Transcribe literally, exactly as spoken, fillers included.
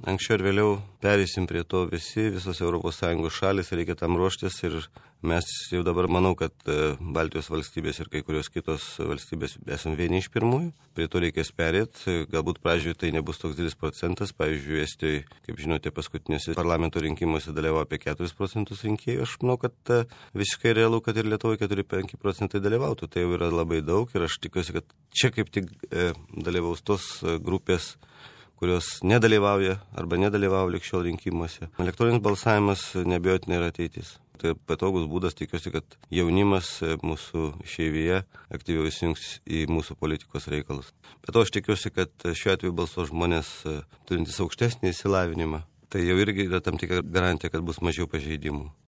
anksčiau ir vėliau pereisim prie to visi, visos Europos Sąjungos šalis, reikia tam ruoštis ir mes jau dabar manau, kad Baltijos valstybės ir kai kurios kitos valstybės esame vieni iš pirmųjų, prie to reikės perėti, galbūt pradžioje tai nebus toks didelis procentas, pavyzdžiui, Estijoje, kaip žinote, paskutinėse parlamento rinkimuose dalyvavo apie keturis procentus rinkėjų, aš manau, kad visiškai realu, kad ir Lietuvoje keturi penki procentai dalyvautų, tai jau yra labai daug ir aš tikiuosi, kad čia kaip tik e, dalyvaus tos grupės, kurios nedalyvauja arba nedalyvauja likščiol rinkimuose. Elektroninis balsavimas neabejotinai yra ateitis. Tai patogus būdas, tikiuosi, kad jaunimas mūsų išeivyje aktyviau įsijungs į mūsų politikos reikalus. Bet to aš tikiuosi, kad šiuo atveju balsuos žmonės turintys aukštesnį išsilavinimą. Tai jau irgi yra tam tikra garantija, kad bus mažiau pažeidimų.